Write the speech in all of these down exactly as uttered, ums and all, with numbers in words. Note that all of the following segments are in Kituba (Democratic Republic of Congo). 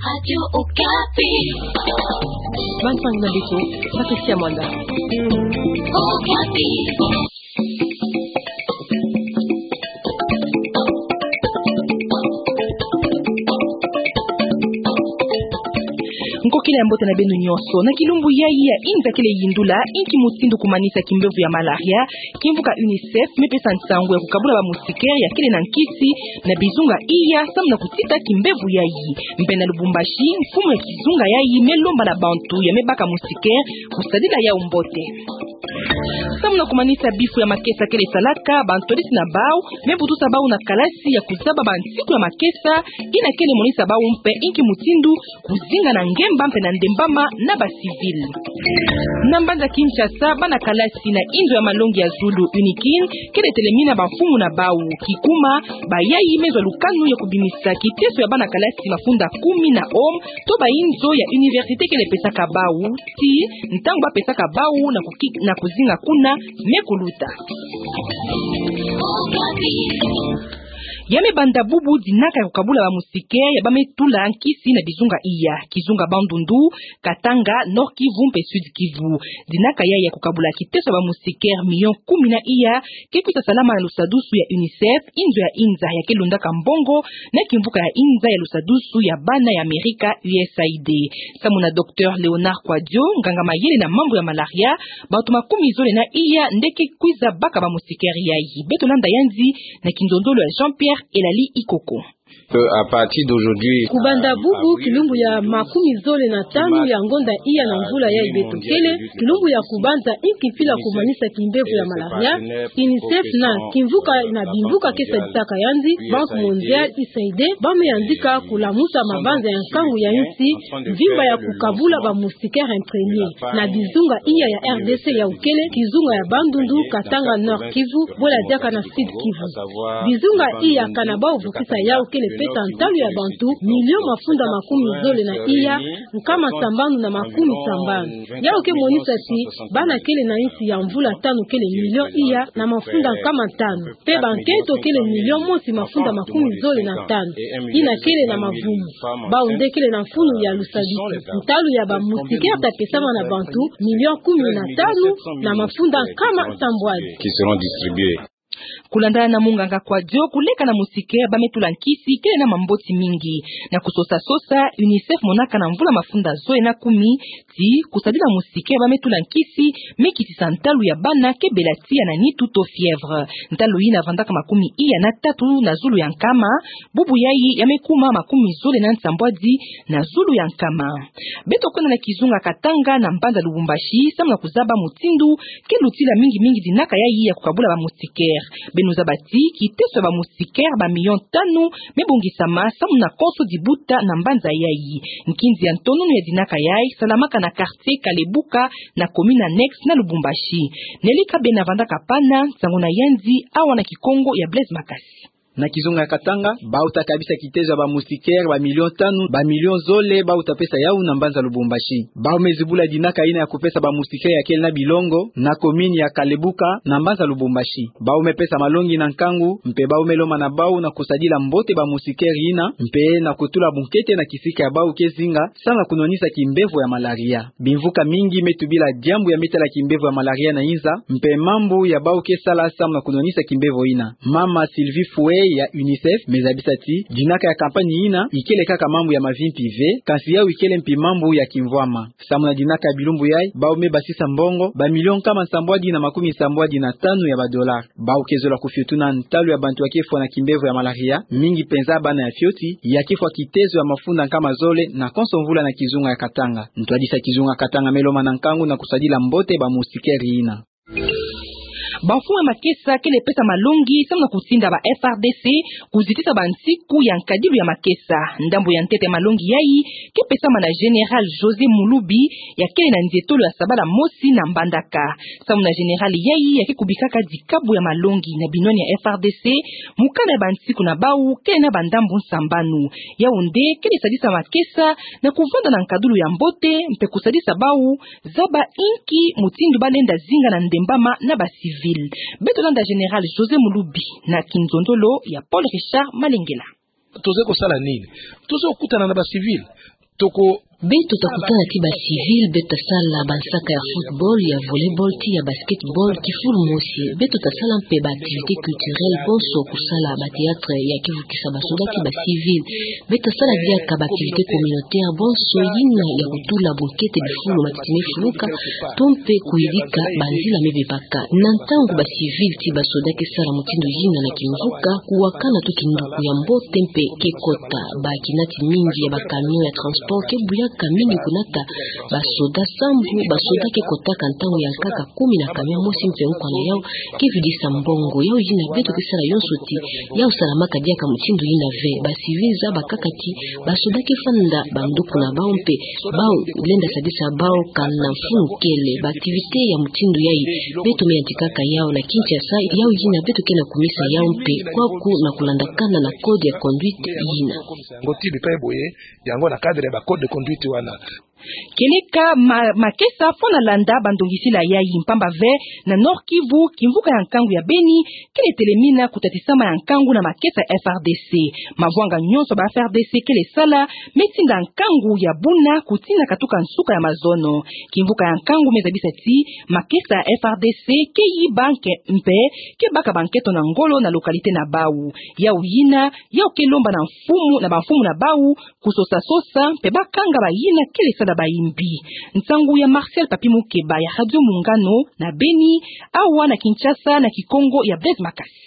Radio Okapi. Mansang na beto, Patricia Mwanda. Okapi. Nkokila ya mbote na beno nyonso. Na kilumbu yayi ya inza kele yindula inki mutindu kumanisa kimbevo ya malaria, kimvuka UNICEF mepesa nsangu ya kukabula ba moustiquaires ya kele na nkisi na bizunga iya samu na kutita kimbevo yayi. Mpe na Lubumbashi, mfumu ya kizunga yayi melomba na bantu ya mebaka moustiquaires kusadila yau mbote. Samu na kumanisa bifu ya makesa kele salaka, bantwadisi na bau mebutusa bau na kalasi ya kuzaba bansiku ya makesa ina kele monisa bau mpe inki mutindu kuzinga na ngemba mpe na ndembama na ba civils. Na mbanza Kinshasa, bana kalasi na inzo ya malongi ya zulu UNIKIN kele telemina bamfumu na bau. Kikuma, bayayi mezwa lukanu ya kubimisa kiteso ya bana kalasi mafunda kumi na omo to ba inzo ya université kele pesaka bau, ti ntangu bapesaka bau na kuki-, na kuzinga kuna mekuluta. Ya mebanda bubu dinaka ya kukabula ba moustiquaires ya ba metula nkisi na bizunga iya: kizunga Bandundu, Katanga, Nord-Kivu mpe Sud-Kivu. Dinaka yayi ya kukabula kiteso ya ba moustiquaires million kumi na iya ke kwisa salama na lusadusu ya UNICEF, inzo ya inza ya kelundaka mbongo na kimvuka ya inza ya lusadusu ya bana ya Amerika, USAID. Samu na Docteur Léonard Kouadio, nganga mayele na mambu ya malaria, bantu makumi zole na iya nde ke kwiza baka ba moustiquaires yayi. Beto landa yandi na kinzonzolo ya Jean-Pierre Elali Ikoko. Euh, à partir d'aujourd'hui, kubanda bubu, kilumbu ya makumi zole na tanu ya ngonda iya na mvula yayi beto kele, kilumbu ya kubanza inki mpila kumanisa kimbevo ya malaria, UNICEF na kimvuka na bimvuka ke sadisaka yandi, Banque Mondiale, USAID, ba me yandika kulamusa mabanza ya nkangu ya nsi mvimba ya kukabula ba moustiquaires imprégnés. Na bizunga iya ya RDC yau kele kizunga ya Bandundu, Katanga, Nord-Kivu, bwela diaka na Sud-Kivu. Bizunga iya kana bau vukisa yau kele pesa ntalu ya bantu million mafunda makumi zole na iya, nkama sambanu na makumi sambanu. Yau ke monisa ti bana kele na nsi ya mvula tanu kele million iya na mafunda nkama tanu. Mpe bankento kele million mosi mafunda makumi zole na tanu. Ina kele na mavumu. Bau nde kele na mfunu ya lusadusu. Ntalu ya ba moustiquaires ta pesama na bantu million kumi na tanu na mafunda nkama sambwadi. Qui seront distribués. Kulandana na munganga Kouadio, kuleka na moustiquaires ba metula nkisi kele na mamboti mingi. Na kusosa-sosa, UNICEF monaka na mvula mafunda zole na kumi ti kusadila moustiquaires ba metula nkisi mekitisa ntalu ya bana ke bela tiya na nitu to fièvre. Ntalu yina vandaka makumi iya na tatu na zulu ya nkama, bubu yayi ya mekuma makumi zole na nsambwadi na zulu ya nkama. Beto kwenda na kizunga Katanga na mbanza Lubumbashi, samu na kuzaba mutindu ke lutila mingi-mingi dinaka yayi ya kukabula ba moustiquaires. Beno zaba ti kiteso ya ba moustiquaires ba million tanu mebongisama samu na konso dibuta na mbanza yayi. Nkinzi ya ntonunu ya dinaka yayi salamaka na quartier Kalebuka na commune annexe na Lubumbashi. Nelly Kabena vandaka pana, nsangu na yandi awa na Kikongo ya Blaise Makasi. Na kizunga ya Katanga, bau ta kabisa kitezo ya ba moustiquaires ba million tanu, ba million zole bau ta pesa yau na mbanza Lubumbashi. Bau me zibula dinaka yina ya kupesa ba moustiquaires ya kele na bilongo na commune ya Kalebuka na mbanza Lubumbashi. Bau me pesa malongi na nkangu, mpe bau me lomba na bau na kusadila mbote ba moustiquaires yina, mpe na kutula bunkete na kisika ya bau ke zinga, samu na kunwanisa kimbevo ya malaria. Bimvuka mingi me tubila diambu ya mitala kimbevo ya malaria na inza, mpe mambu ya bau ke sala samu na kunwanisa kimbevo yina. Mama Sylvie Fouet ya UNICEF me zabisa ti dinaka ya campagne yina ikele kaka mambu ya mavimpi ve, kansi yau ikele mpi mambu ya kimvwama. Samu na dinaka ya bilumbu yayi, bau me basisa mbongo ba million nkama nsambwadi na makumi nsambwadi na tanu ya ba dollars. Bau ke zola kufiotuna ntalu ya bantu ya ke fwa na kimbevo ya malaria, mingi penza bana ya fioti, ya ke fwa kitezo ya mafunda nkama zole na konso mvula na kizunga ya Katanga. Ntwadisi ya kizunga Katanga me lomba na nkangu na kusadila mbote ba moustiquaires yina. Bamfumu ya makesa kele pesa malongi samu na kutinda ba FARDC kuzitisa bansiku ya nkadilu ya makesa. Ndambu ya ntete ya malongi yayi ke pesama na Général José Mulubi, ya kele na nzietolo ya sabala mosi na Mbandaka. Samu na général yayi ya ke kubikaka dikabu ya malongi na binwani ya FARDC, mukanda ya bansiku na bau kele na bandambu nsambanu. Yau nde kele sadisa makesa na kuvanda na nkadilu ya mbote, mpe kusadisa bau zaba inki mutindu ba lenda zinga na ndembama na ba civils. Beto landa Général José Mulubi na kinzonzolo ya Paul Richard Malengela. Toza kosala nini? Toza kokutana na ba civils. toko. Beto takutana ti ba civil, beto tasala bansaka ya football, ya volleyball, ti ya basketball, kifulu mosi. Beto tasala mpe ba activités culturelles bonso kusala ba théâtre ya kivukisa basoda ti ba civil. Beto tasala diaka ba activités communautaires bonso yina ya kutula bunkete bifulu matiti mefuluka, to mpe kuyidika banzila mebebaka. Na ntangu ba civil ti basoda ke sala mutindu yina na kimvuka, kuwakana to kinduku ya mbote mpe ke kota. Ba kinati mingi ya ba camions ya transport ke buyaka mingi kunata basoda, sambu basoda ke kotaka ntangu ya nkaka kumi na camion mosi mpe nkwa na yau ke vidisa mbongo. Yau yina beto ke sala yonso ti yau salamaka diaka mutindu yina ve. Ba civil zaba kaka ti basoda ke fanda banduku na bau mpe bau lenda sadisa bau kana mfunu kele. Ba activités ya mutindu yayi beto me yantikaka yau na Kinshasa, yau yina beto ke na kumisa yau mpe kwaku na kulandakana na code ya conduite yina. Ngo ti bipai boye, yango na cadre ya ba code de conduite wana. Kieleka ma-, makesa fo na landa bandongisila yayi, mpamba ve na Nord-Kivu, kimvuka ya nkangu ya Beni kele telemina kutatisama ya nkangu na makesa F R D C. Mavwanga nyonso ba F R D C kele sala me tinda nkangu ya buna kutina katuka nsuka ya mazono. Kimvuka ya nkangu me zabisa ti makesa ya F R D C ke yiba nke mpe ke baka banketo na ngolo na localité na bau. Yau yina, yau ke lomba na mfumu, na bamfumu na bau kusosa sosa mpe bakanga bayina kele sala bayimbi. Nsangu ya Martial Papi Mukeba ya Radio Mungano na Beni, awa na Kinshasa na Kikongo ya Blaise Makasi.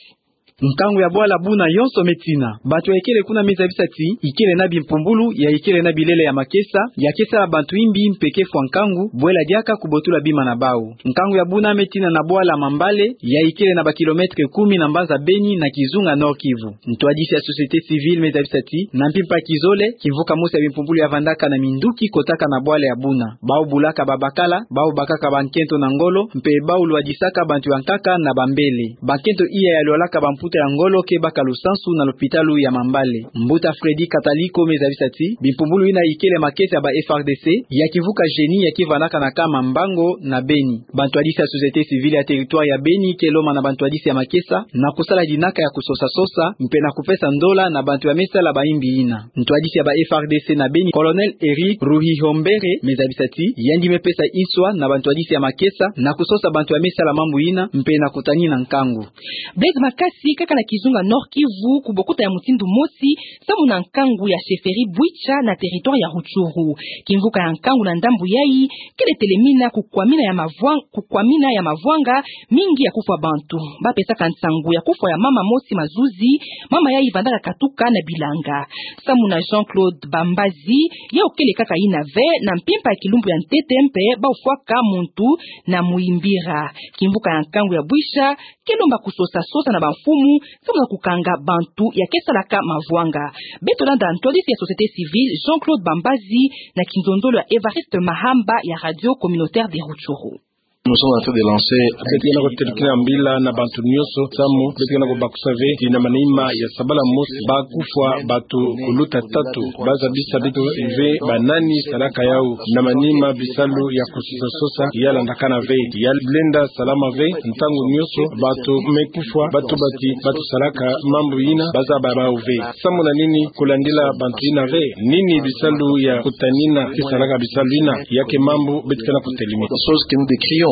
Nkangu ya bwala buna yonso me tina. Bantu ya ikele kuna me zabisa ti ikele na bimpumbulu, ya ikele na bilele ya makesa, ya ke sala bantu yimbi mpe ke fwa nkangu, bwela diaka kubotula bima na bau. Nkangu ya buna me tina na bwala Mambale, ya ikele na ba kilomètres kumi na mbanza Beni na kizunga Nord-Kivu. Ntwadisi ya société civile me zabisa ti, na mpimpa kizole, kimvuka mosi ya bimpumbulu ya vandaka na minduki kotaka na bwala ya buna. Bau bulaka babakala, bau bakaka bankento na ngolo, mpe bau lwadisaka bantu ya nkaka na bambele. Bankento iya ya lwalaka bamputa ya ngolo ke baka lusansu na lopitalu ya Mambale. Mbuta Freddy Kataliko me zabisa ti, bimpumbulu yina ikele makesa ya ba F R D C, ya kimvuka génie ya ke vandaka na kama Mbango na Beni. Bantwadisi ya société civile ya territoire ya Beni ke lomba na bantwadisi ya makesa na kusala dinaka ya kusosa sosa, mpe na kupesa ndola na bantu ya me sala bayimbi yina. Ntwadisi ya ba F R D C na Beni, Colonel Eric Ruhihombere, me zabisa ti, yandi me pesa nswa na bantwadisi ya makesa na kusosa bantu ya me sala mambu yina, mpe na kutanina nkangu. Blaise Makasi, kaka na kizunga Nord-Kivu, kubokuta ya mutindu mosi samu na nkangu ya chefferie Bwicha na territoire ya Rutshuru. Kimvuka ya nkangu na ndambu yayi kele telemina kukwamina ya mavwang-, kukwamina ya mavwanga mingi ya kufwa bantu. Bapesaka nsangu ya kufwa ya mama mosi mazuzi, mama yayi vandaka katuka na bilanga. Samu na Jean-Claude Bambazi, yau kele kaka yina ve, na mpimpa ya kilumbu ya ntete mpe bau fwaka muntu na muyimbira. Kimvuka ya nkangu ya Bwicha ke lomba kusosa sosa na bamfumu samu na kukanga bantu ya ke salaka mavwanga. Beto landa ntwadisi ya société civile Jean-Claude Bambazi na kinzonzolo ya Évariste Mahamba ya Radio Communautaire de Rutshuru. Nous sommes en train de lancer. Beto ke na kutelukina mbila na bantu nyonso samu beto ke na kubakusa ve ti na manima ya sabala mosi bakufwa bantu kuluta tatu. Bazabisa beto ve banani salaka yau na manima bisalu ya kusosa sosa ya landakana ve, ya lenda salama ve. Ntangu nyonso bantu me kufwa, bantu bati, bantu salaka mambu yina, bazaba bau ve. Samu na nini kulandila bantu yina ve? Nini bisalu ya kutanina ke salaka bisalu yina? Ya ke mambu beto ke na kutelemina. Chose que nous décrions.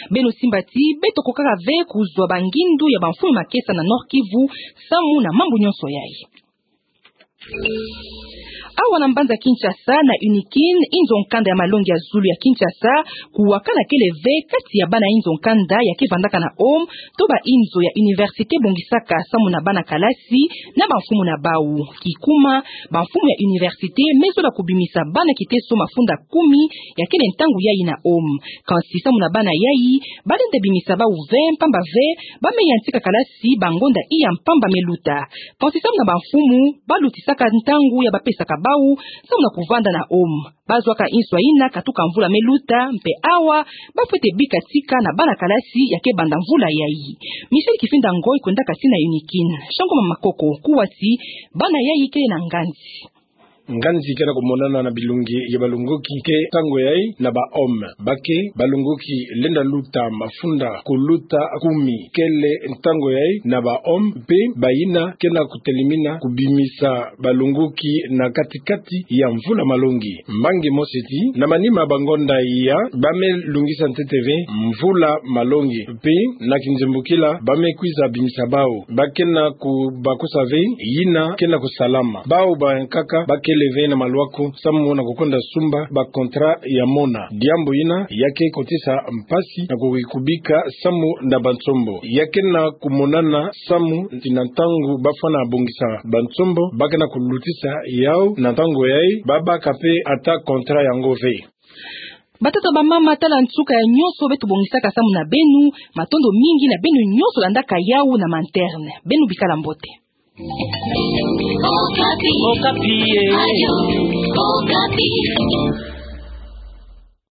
Beno simba ti beto ko kaka ve kuzwa bangindu ya bamfumu makesa na Nord-Kivu samu na mambu nyonso yayi. Awa na mbanza Kinshasa, na UNIKIN, inzo nkanda ya malongi ya zulu ya Kinshasa, kuwakana kele ve kati ya bana inzo nkanda ya ke vandaka na home, to ba inzo ya université bongisaka samu na bana kalasi, na bamfumu na bau. Kikuma, bamfumu ya université me zola kubimisa bana kiteso mafunda kumi ya kele ntangu yayi na home. Kansi samu na bana yayi, balenda bimisa bau ve, mpamba ve ba me yantika kalasi bangonda iya mpamba me luta. Kansi samu na bamfumu, balutisaka ntangu ya bapesaka bau samu na kuvanda na home. Bazwaka nswa yina katuka mvula me luta, mpe awa bafwete bika tika na bana kalasi ya ke banda mvula yayi. Michel Kifinda Ngoy kwendaka tii na UNIKIN. Shango Mama Koko, kuwa ti bana yayi kele na nganzi. Nganzi ke na kumonana na bilongi ya balongoki ke ntango yai na ba hommes. Ba ke balongoki lenda luta mafunda kuluta kumi. Kele ntango yai na ba hommes mpe bayina ke na kutelemina kubimisa balongoki na kati-kati ya mvula malongi. Mbangi mosi ti, na manima ma bangonda ya ba me lungisa ntete ve mvula malongi, mpe na kinzembukila ba me kwiza bimisa bau. Ba ke na kubakusa ve yina ke na kusalama. Bau bankaka ba kele ve na malwaku samu na kukonda sumba ba contrat ya mona. Diambu yina ya ke kotisa mpasi na kukubika samu na bansombo. Ya ke na kumonana samu ti na ntangu ba fwana bongisa bansombo, ba ke na kulutisa yau na ntango yai ba baka mpe ata contrat yango ve. Batata, bamama, tala nsuka ya nyonso beto bongisaka samu na beno. Matondo mingi na beno nyonso landaka yawu na ma antenne. Beno bikala mbote. Okapi. Okapi, eh. Radio Okapi.